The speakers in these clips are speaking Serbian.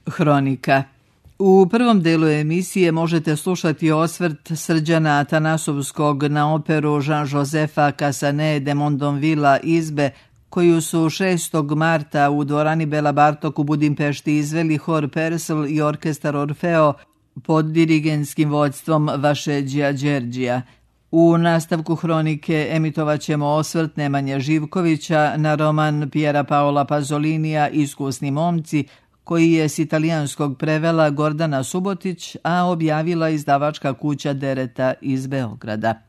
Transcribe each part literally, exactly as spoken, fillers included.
Hronika. U prvom delu emisije možete slušati osvrt Srđana Atanasovskog na operu Jean-Josepha Cassanet de Mondonvilla Izbe, koju su šestog marta u dvorani Bela Bartok u Budimpešti izveli hor Persl i orkestar Orfeo pod dirigentskim vođstvom Vašeđija Đerđija. U nastavku Hronike emitovat ćemo osvrt Nemanje Živkovića na roman Piera Paola Pazolinija Iskusni momci, koji je s italijanskog prevela Gordana Subotić, a objavila izdavačka kuća Dereta iz Beograda.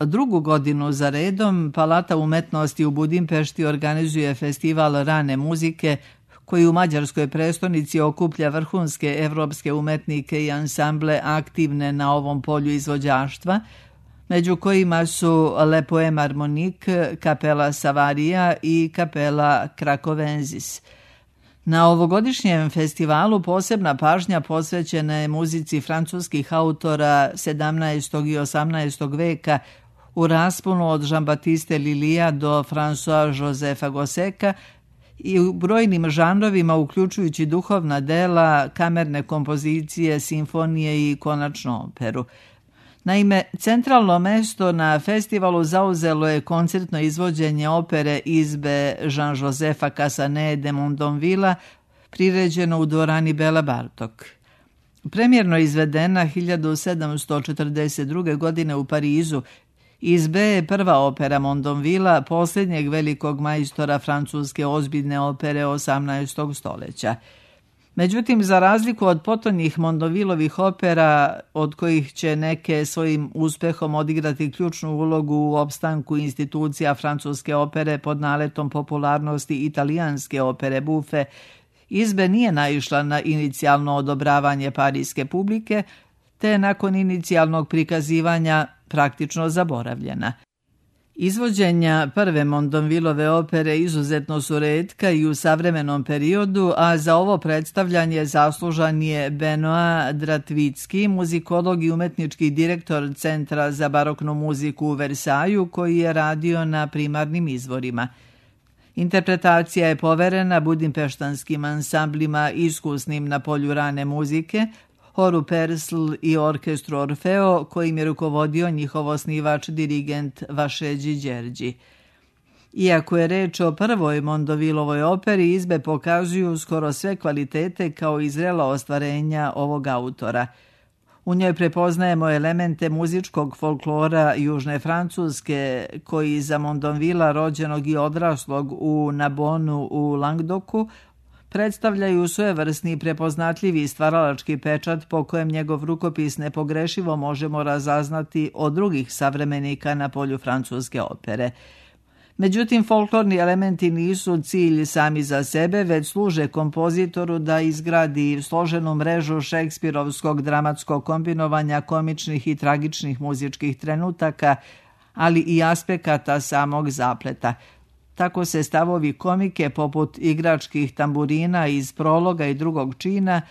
Drugu godinu za redom Palata umetnosti u Budimpešti organizuje festival rane muzike, koji u mađarskoj prestonici okuplja vrhunske evropske umetnike i ansamble aktivne na ovom polju izvođaštva, među kojima su Le Poème Harmonique, Kapela Savaria i Kapela Krakovenzis. Na ovogodišnjem festivalu posebna pažnja posvećena je muzici francuskih autora sedamnaestog i osamnaestog veka u rasponu od Jean-Baptiste Lilija do François Josepha Gosseka i u brojnim žanrovima uključujući duhovna dela, kamerne kompozicije, simfonije i konačno operu. Naime, centralno mesto na festivalu zauzelo je koncertno izvođenje opere Izbe Jean-Josepha Cassanet de Mondonvilla, priređeno u dvorani Bela Bartok. Premjerno izvedena hiljadu sedamsto četrdeset druge. godine u Parizu, Izbe je prva opera Mondonvilla, posljednjeg velikog majstora francuske ozbiljne opere osamnaestog stoljeća. Međutim, za razliku od potonjih Mondonvillovih opera, od kojih će neke svojim uspehom odigrati ključnu ulogu u opstanku institucija francuske opere pod naletom popularnosti italijanske opere buffe, Izbe nije naišla na inicijalno odobravanje parijske publike, te nakon inicijalnog prikazivanja praktično zaboravljena. Izvođenja prve Mondonvillove opere izuzetno su retka i u savremenom periodu, a za ovo predstavljanje zaslužan je Benoit Dratvicki, muzikolog i umetnički direktor Centra za baroknu muziku u Versaju, koji je radio na primarnim izvorima. Interpretacija je poverena budimpeštanskim ansamblima iskusnim na polju rane muzike, horu Persl i orkestru Orfeo, kojim je rukovodio njihov osnivač dirigent Vašeđi Đerđi. Iako je reč o prvoj Mondonvillovoj operi, Izbe pokazuju skoro sve kvalitete kao i zrela ostvarenja ovog autora. U njoj prepoznajemo elemente muzičkog folklora Južne Francuske, koji za Mondonvilla, rođenog i odraslog u Nabonu u Langdoku, predstavljaju svojevrsni prepoznatljivi stvaralački pečat po kojem njegov rukopis nepogrešivo možemo razaznati od drugih savremenika na polju francuske opere. Međutim, folklorni elementi nisu cilj sami za sebe, već služe kompozitoru da izgradi složenu mrežu šekspirovskog dramatskog kombinovanja komičnih i tragičnih muzičkih trenutaka, ali i aspekata samog zapleta. Tako se stavovi komike poput igračkih tamburina iz prologa i drugog čina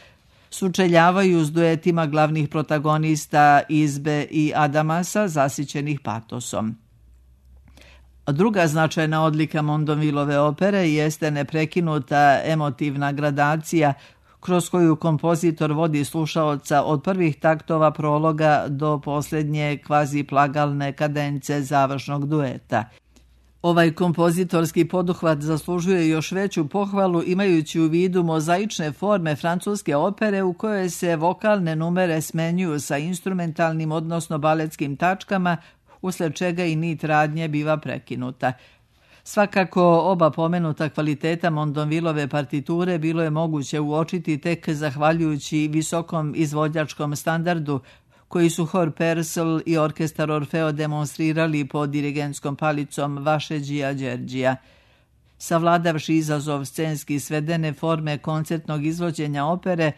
sučeljavaju s duetima glavnih protagonista Izbe i Adamasa zasićenih patosom. Druga značajna odlika Mondonvillove opere jeste neprekinuta emotivna gradacija kroz koju kompozitor vodi slušaoca od prvih taktova prologa do posljednje kvazi plagalne kadence završnog dueta. Ovaj kompozitorski poduhvat zaslužuje još veću pohvalu imajući u vidu mozaične forme francuske opere u kojoj se vokalne numere smenjuju sa instrumentalnim odnosno baletskim tačkama, usled čega i nit radnje biva prekinuta. Svakako oba pomenuta kvaliteta Mondonvillove partiture bilo je moguće uočiti tek zahvaljujući visokom izvođačkom standardu koji su hor Persl i orkestar Orfeo demonstrirali pod dirigentskom palicom Vašeđija Đerđija. Savladavši izazov scenski svedene forme koncertnog izvođenja opere,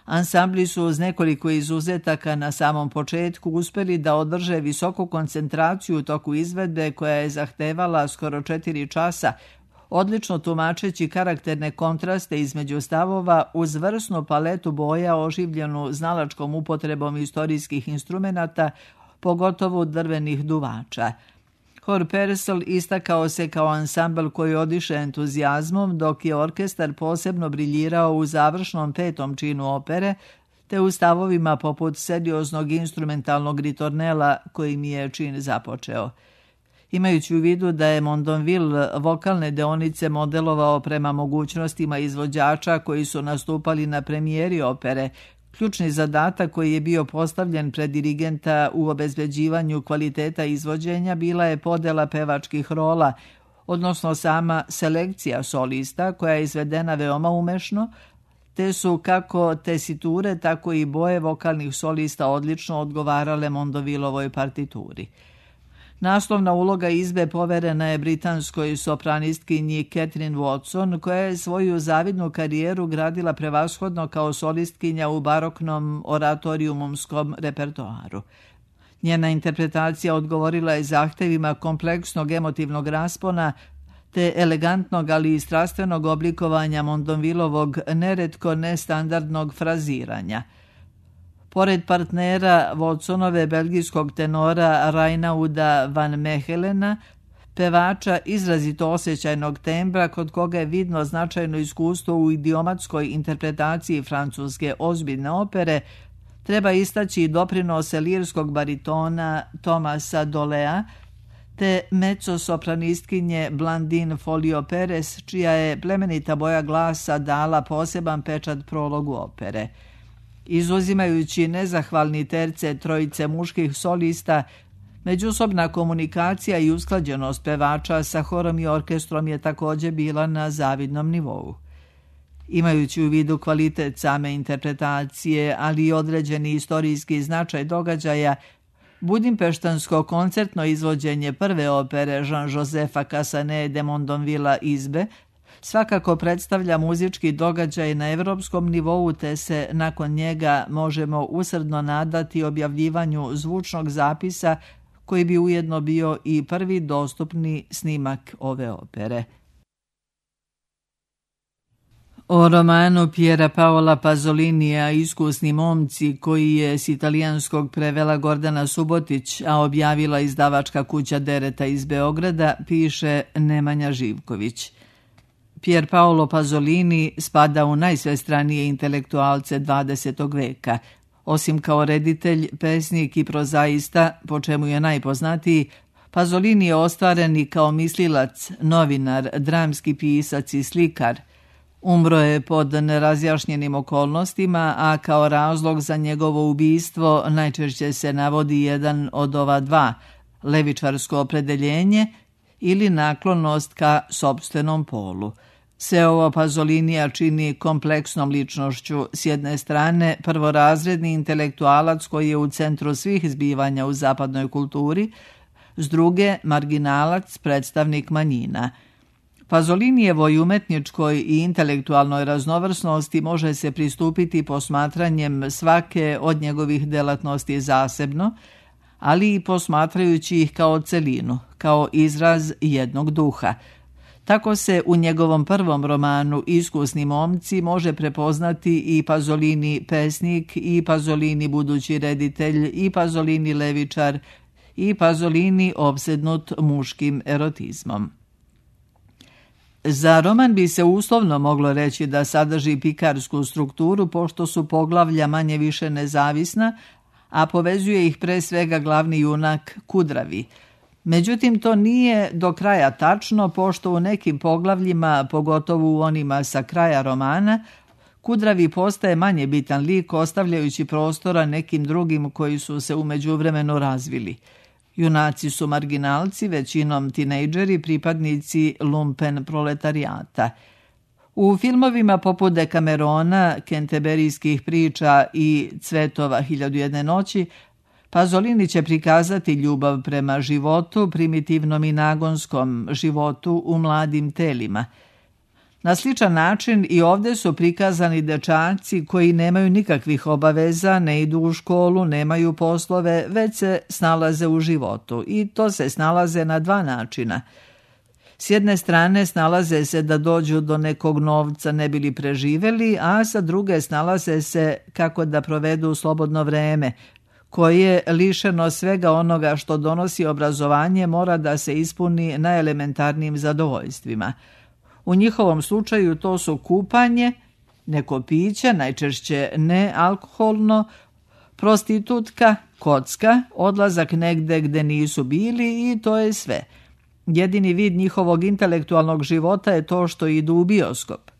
ansambli su uz nekoliko izuzetaka na samom početku uspeli da održe visoku koncentraciju u toku izvedbe koja je zahtevala skoro četiri časa, odlično tumačeći karakterne kontraste između stavova uz vrsnu paletu boja oživljenu znalačkom upotrebom istorijskih instrumenata, pogotovo drvenih duvača. Hor Persel istakao se kao ansambl koji odiše entuzijazmom, dok je orkestar posebno briljirao u završnom petom činu opere, te u stavovima poput serioznog instrumentalnog ritornela kojim je čin započeo. Imajući u vidu da je Mondonville vokalne deonice modelovao prema mogućnostima izvođača koji su nastupali na premijeri opere, ključni zadatak koji je bio postavljen pred dirigenta u obezbeđivanju kvaliteta izvođenja bila je podela pevačkih rola, odnosno sama selekcija solista koja je izvedena veoma umešno, te su kako tesiture, tako i boje vokalnih solista odlično odgovarale Mondonvillovoj partituri. Naslovna uloga izbe poverena je britanskoj sopranistkinji Catherine Watson, koja je svoju zavidnu karijeru gradila prevashodno kao solistkinja u baroknom oratorijumskom repertoaru. Njena interpretacija odgovorila je zahtevima kompleksnog emotivnog raspona te elegantnog, ali i strastvenog oblikovanja Mondonvillovog neretko nestandardnog fraziranja. Pored partnera Watsonove belgijskog tenora Reinauda van Mehelena, pevača izrazito osjećajnog tembra kod koga je vidno značajno iskustvo u idiomatskoj interpretaciji francuske ozbiljne opere, treba istaći i doprinose lirskog baritona Tomasa Dolea, te mezzo-sopranistkinje Blandine Folio Perez, čija je plemenita boja glasa dala poseban pečat prologu opere. Izuzimajući nezahvalni terce trojice muških solista, međusobna komunikacija i usklađenost pevača sa horom i orkestrom je također bila na zavidnom nivou. Imajući u vidu kvalitet same interpretacije, ali i određeni istorijski značaj događaja, budimpeštansko koncertno izvođenje prve opere Jean-Josepha Cassanet de Mondonvilla izbe svakako predstavlja muzički događaj na evropskom nivou, te se nakon njega možemo usrdno nadati objavljivanju zvučnog zapisa koji bi ujedno bio i prvi dostupni snimak ove opere. O romanu Piera Paola Pazolinija Iskusni momci, koji je s italijanskog prevela Gordana Subotić, a objavila izdavačka kuća Dereta iz Beograda, piše Nemanja Živković. Pier Paolo Pasolini spada u najsvestranije intelektualce dvadesetog veka. Osim kao reditelj, pesnik i prozaista, po čemu je najpoznatiji, Pasolini je ostvaren i kao mislilac, novinar, dramski pisac i slikar. Umro je pod nerazjašnjenim okolnostima, a kao razlog za njegovo ubistvo najčešće se navodi jedan od ova dva, levičarsko opredeljenje ili naklonost ka sopstvenom polu. Sve ovo Pasolinija čini kompleksnom ličnošću, s jedne strane prvorazredni intelektualac koji je u centru svih zbivanja u zapadnoj kulturi, s druge marginalac, predstavnik manjina. Pasolinijevoj umetničkoj i intelektualnoj raznovrsnosti može se pristupiti posmatranjem svake od njegovih delatnosti zasebno, ali i posmatrajući ih kao celinu, kao izraz jednog duha. Tako se u njegovom prvom romanu Iskusni momci može prepoznati i Pasolini pesnik, i Pasolini budući reditelj, i Pasolini levičar, i Pasolini opsednut muškim erotizmom. Za roman bi se uslovno moglo reći da sadrži pikarsku strukturu, pošto su poglavlja manje više nezavisna, a povezuje ih pre svega glavni junak Kudravi. Međutim, to nije do kraja tačno, pošto u nekim poglavljima, pogotovo u onima sa kraja romana, Kudravi postaje manje bitan lik, ostavljajući prostora nekim drugim koji su se u međuvremenu razvili. Junaci su marginalci, većinom tinejdžeri, pripadnici lumpen proletarijata. U filmovima poput Dekamerona, Kenteberijskih priča i Cvetova hiljadu jedne noći, Pasolini će prikazati ljubav prema životu, primitivnom i nagonskom životu u mladim telima. Na sličan način i ovdje su prikazani dečaci koji nemaju nikakvih obaveza, ne idu u školu, nemaju poslove, već se snalaze u životu. I to se snalaze na dva načina. S jedne strane snalaze se da dođu do nekog novca ne bili preživeli, a sa druge snalaze se kako da provedu slobodno vreme, koje, lišeno svega onoga što donosi obrazovanje, mora da se ispuni najelementarnijim zadovoljstvima. U njihovom slučaju to su kupanje, neko piće, najčešće nealkoholno, prostitutka, kocka, odlazak negde gde nisu bili i to je sve. Jedini vid njihovog intelektualnog života je to što idu u bioskop.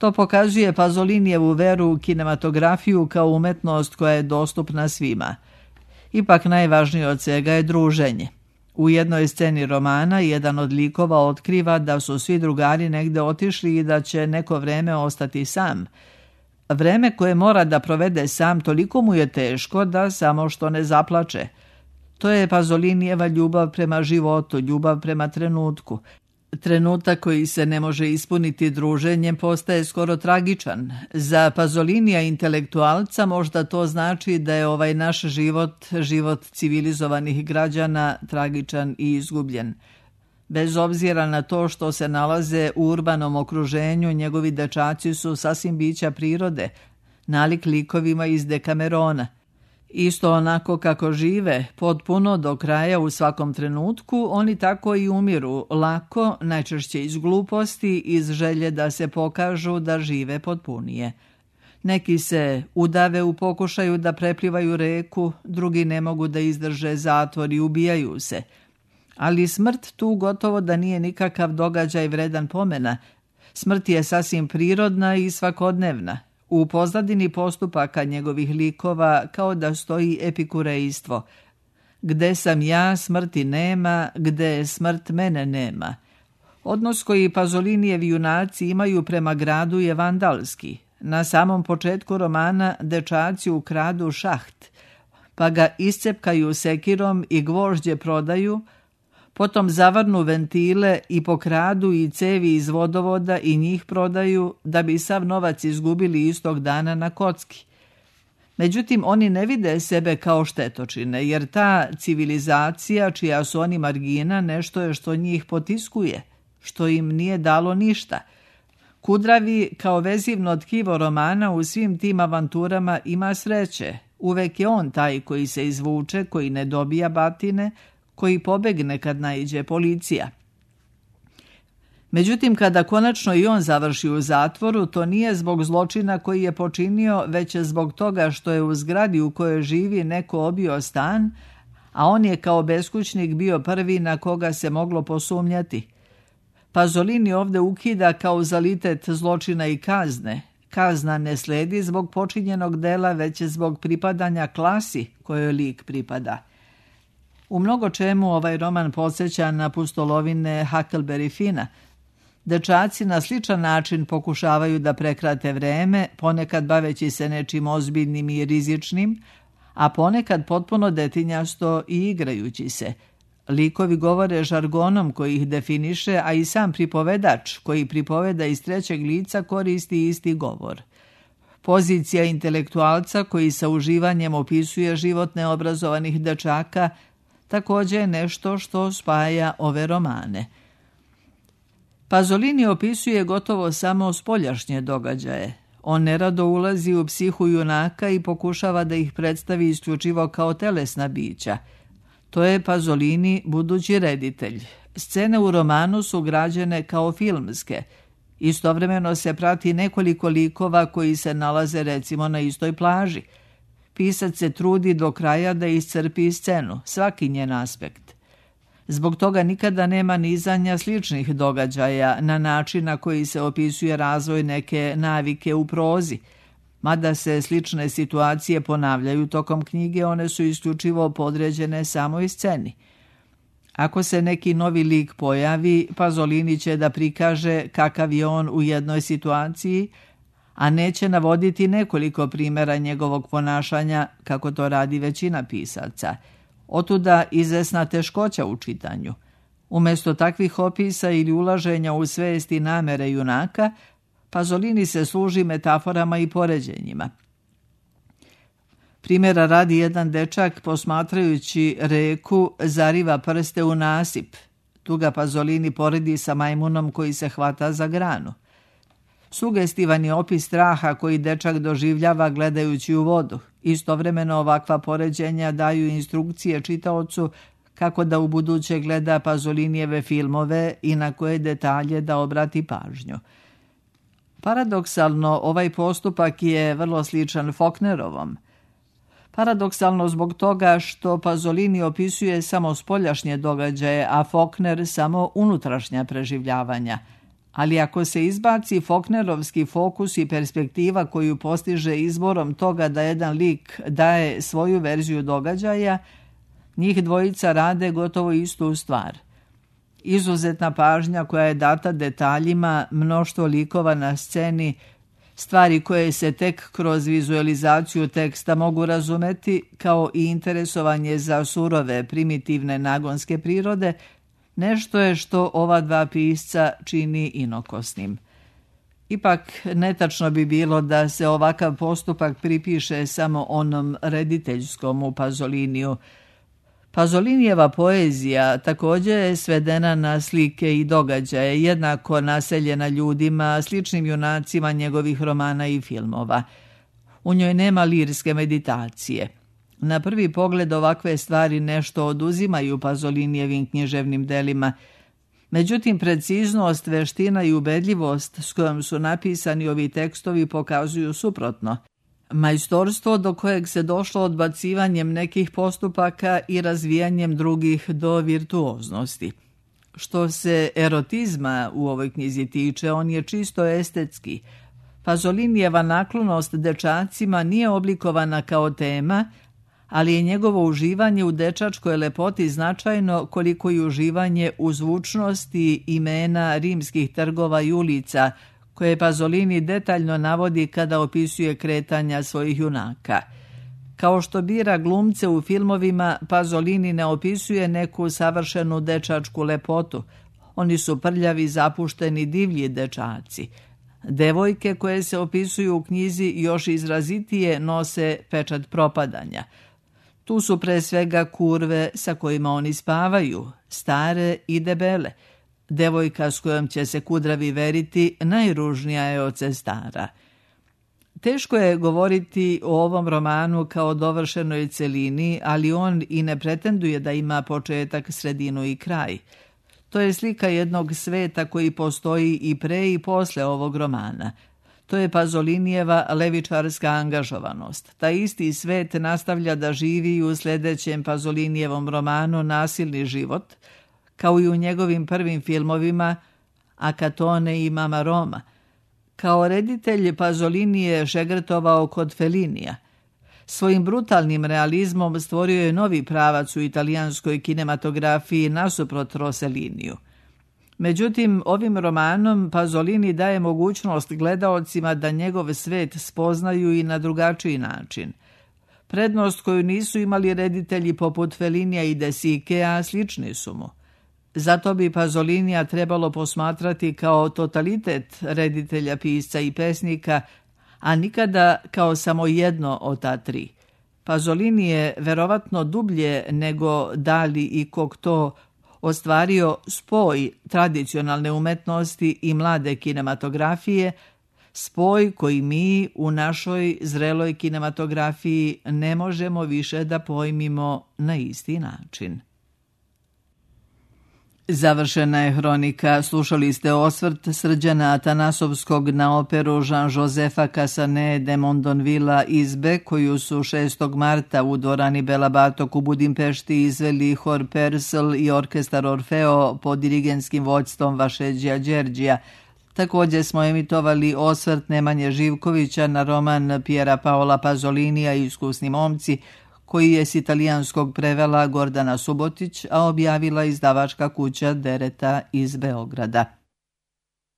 To pokazuje Pasolinijevu veru u kinematografiju kao umetnost koja je dostupna svima. Ipak najvažnije od svega je druženje. U jednoj sceni romana jedan od likova otkriva da su svi drugari negde otišli i da će neko vreme ostati sam. Vreme koje mora da provede sam toliko mu je teško da samo što ne zaplače. To je Pasolinijeva ljubav prema životu, ljubav prema trenutku. Trenutak koji se ne može ispuniti druženjem postaje skoro tragičan. Za Pasolinija intelektualca možda to znači da je ovaj naš život, život civilizovanih građana, tragičan i izgubljen. Bez obzira na to što se nalaze u urbanom okruženju, njegovi dečaci su sasvim bića prirode, nalik likovima iz Dekamerona. Isto onako kako žive, potpuno do kraja u svakom trenutku, oni tako i umiru, lako, najčešće iz gluposti, iz želje da se pokažu da žive potpunije. Neki se udave u pokušaju da preplivaju reku, drugi ne mogu da izdrže zatvor i ubijaju se. Ali smrt tu gotovo da nije nikakav događaj vredan pomena. Smrt je sasvim prirodna i svakodnevna. U pozadini postupaka njegovih likova kao da stoji epikurejstvo. Gde sam ja, smrti nema, gde smrt mene nema. Odnos koji Pasolinijevi junaci imaju prema gradu je vandalski. Na samom početku romana dečaci ukradu šaht, pa ga iscepkaju sekirom i gvožđe prodaju, potom zavrnu ventile i pokradu i cevi iz vodovoda i njih prodaju da bi sav novac izgubili istog dana na kocki. Međutim, oni ne vide sebe kao štetočine, jer ta civilizacija čija su oni margina nešto je što njih potiskuje, što im nije dalo ništa. Kudravi kao vezivno tkivo romana u svim tim avanturama ima sreće. Uvek je on taj koji se izvuče, koji ne dobija batine, koji pobegne kad naiđe policija. Međutim, kada konačno i on završi u zatvoru, to nije zbog zločina koji je počinio, već je zbog toga što je u zgradi u kojoj živi neko obio stan, a on je kao beskućnik bio prvi na koga se moglo posumnjati. Pasolini ovde ukida kauzalitet zločina i kazne. Kazna ne sledi zbog počinjenog dela, već zbog pripadanja klasi kojoj lik pripada. U mnogo čemu ovaj roman podsjeća na pustolovine Huckleberry Finna. Dečaci na sličan način pokušavaju da prekrate vreme, ponekad baveći se nečim ozbiljnim i rizičnim, a ponekad potpuno detinjasto i igrajući se. Likovi govore žargonom koji ih definiše, a i sam pripovedač koji pripoveda iz trećeg lica koristi isti govor. Pozicija intelektualca koji sa uživanjem opisuje život neobrazovanih dečaka također je nešto što spaja ove romane. Pasolini opisuje gotovo samo spoljašnje događaje. On nerado ulazi u psihu junaka i pokušava da ih predstavi isključivo kao telesna bića. To je Pasolini budući reditelj. Scene u romanu su građene kao filmske. Istovremeno se prati nekoliko likova koji se nalaze recimo na istoj plaži. Pisac se trudi do kraja da iscrpi scenu, svaki njen aspekt. Zbog toga nikada nema nizanja sličnih događaja na način na koji se opisuje razvoj neke navike u prozi. Mada se slične situacije ponavljaju tokom knjige, one su isključivo podređene samoj sceni. Ako se neki novi lik pojavi, Pasolini će da prikaže kakav je on u jednoj situaciji, a neće navoditi nekoliko primjera njegovog ponašanja, kako to radi većina pisaca. Otuda izvesna teškoća u čitanju. Umjesto takvih opisa ili ulaženja u svest i namere junaka, Pasolini se služi metaforama i poređenjima. Primjera radi jedan dečak posmatrajući reku zariva prste u nasip. Tu ga Pasolini poredi sa majmunom koji se hvata za granu. Sugestivan je opis straha koji dečak doživljava gledajući u vodu. Istovremeno ovakva poređenja daju instrukcije čitaocu kako da ubuduće gleda Pazolinijeve filmove i na koje detalje da obrati pažnju. Paradoksalno, ovaj postupak je vrlo sličan Faulknerovom. Paradoksalno zbog toga što Pasolini opisuje samo spoljašnje događaje, a Faulkner samo unutrašnja preživljavanja. Ali ako se izbaci Faulknerovski fokus i perspektiva koju postiže izborom toga da jedan lik daje svoju verziju događaja, njih dvojica rade gotovo istu stvar. Izuzetna pažnja koja je data detaljima, mnoštvo likova na sceni, stvari koje se tek kroz vizualizaciju teksta mogu razumeti, kao i interesovanje za surove, primitivne nagonske prirode, nešto je što ova dva pisca čini inokosnim. Ipak, netačno bi bilo da se ovakav postupak pripiše samo onom rediteljskom u Pazoliniju. Pazolinijeva poezija također je svedena na slike i događaje, jednako naseljena ljudima, sličnim junacima njegovih romana i filmova. U njoj nema lirske meditacije. Na prvi pogled ovakve stvari nešto oduzimaju Pazolinijevim književnim delima. Međutim, preciznost, veština i ubedljivost s kojom su napisani ovi tekstovi pokazuju suprotno. Majstorstvo do kojeg se došlo odbacivanjem nekih postupaka i razvijanjem drugih do virtuoznosti. Što se erotizma u ovoj knjizi tiče, on je čisto estetski. Pazolinijeva naklonost dečacima nije oblikovana kao tema, ali je njegovo uživanje u dečačkoj lepoti značajno koliko i uživanje u zvučnosti imena rimskih trgova i ulica, koje Pasolini detaljno navodi kada opisuje kretanja svojih junaka. Kao što bira glumce u filmovima, Pasolini ne opisuje neku savršenu dečačku lepotu. Oni su prljavi, zapušteni, divlji dečaci. Devojke koje se opisuju u knjizi još izrazitije nose pečat propadanja. Tu su pre svega kurve sa kojima oni spavaju, stare i debele. Devojka s kojom će se kudravi veriti najružnija je od sestara. Teško je govoriti o ovom romanu kao dovršenoj celini, ali on i ne pretenduje da ima početak, sredinu i kraj. To je slika jednog sveta koji postoji i pre i posle ovog romana. To je Pazolinijeva levičarska angažovanost. Taj isti svet nastavlja da živi u sljedećem Pazolinijevom romanu Nasilni život, kao i u njegovim prvim filmovima Akatone i Mama Roma. Kao reditelj Pasolini je šegrtovao kod Fellinija. Svojim brutalnim realizmom stvorio je novi pravac u italijanskoj kinematografiji nasuprot Rosselliniju. Međutim, ovim romanom Pasolini daje mogućnost gledaocima da njegov svet spoznaju i na drugačiji način. Prednost koju nisu imali reditelji poput Fellinija i De Sicea slični su mu. Zato bi Pasolinija trebalo posmatrati kao totalitet reditelja, pisca i pesnika, a nikada kao samo jedno od ta tri. Pasolini je verovatno dublje nego Dali i Cocteau ostvario spoj tradicionalne umetnosti i mlade kinematografije, spoj koji mi u našoj zreloj kinematografiji ne možemo više da pojmimo na isti način. Završena je hronika. Slušali ste osvrt Srđana Atanasovskog na operu Jean-Josepha Cassanet de Mondonvilla Izbe, koju su šestog marta u dvorani Bela Bartok u Budimpešti izveli hor Persl i orkestar Orfeo pod dirigenskim vođstvom Vašeđija Đerđija. Također smo emitovali osvrt Nemanje Živkovića na roman Piera Paola Pasolinija Iskusni momci, koji je s italijanskog prevela Gordana Subotić, a objavila izdavačka kuća Dereta iz Beograda.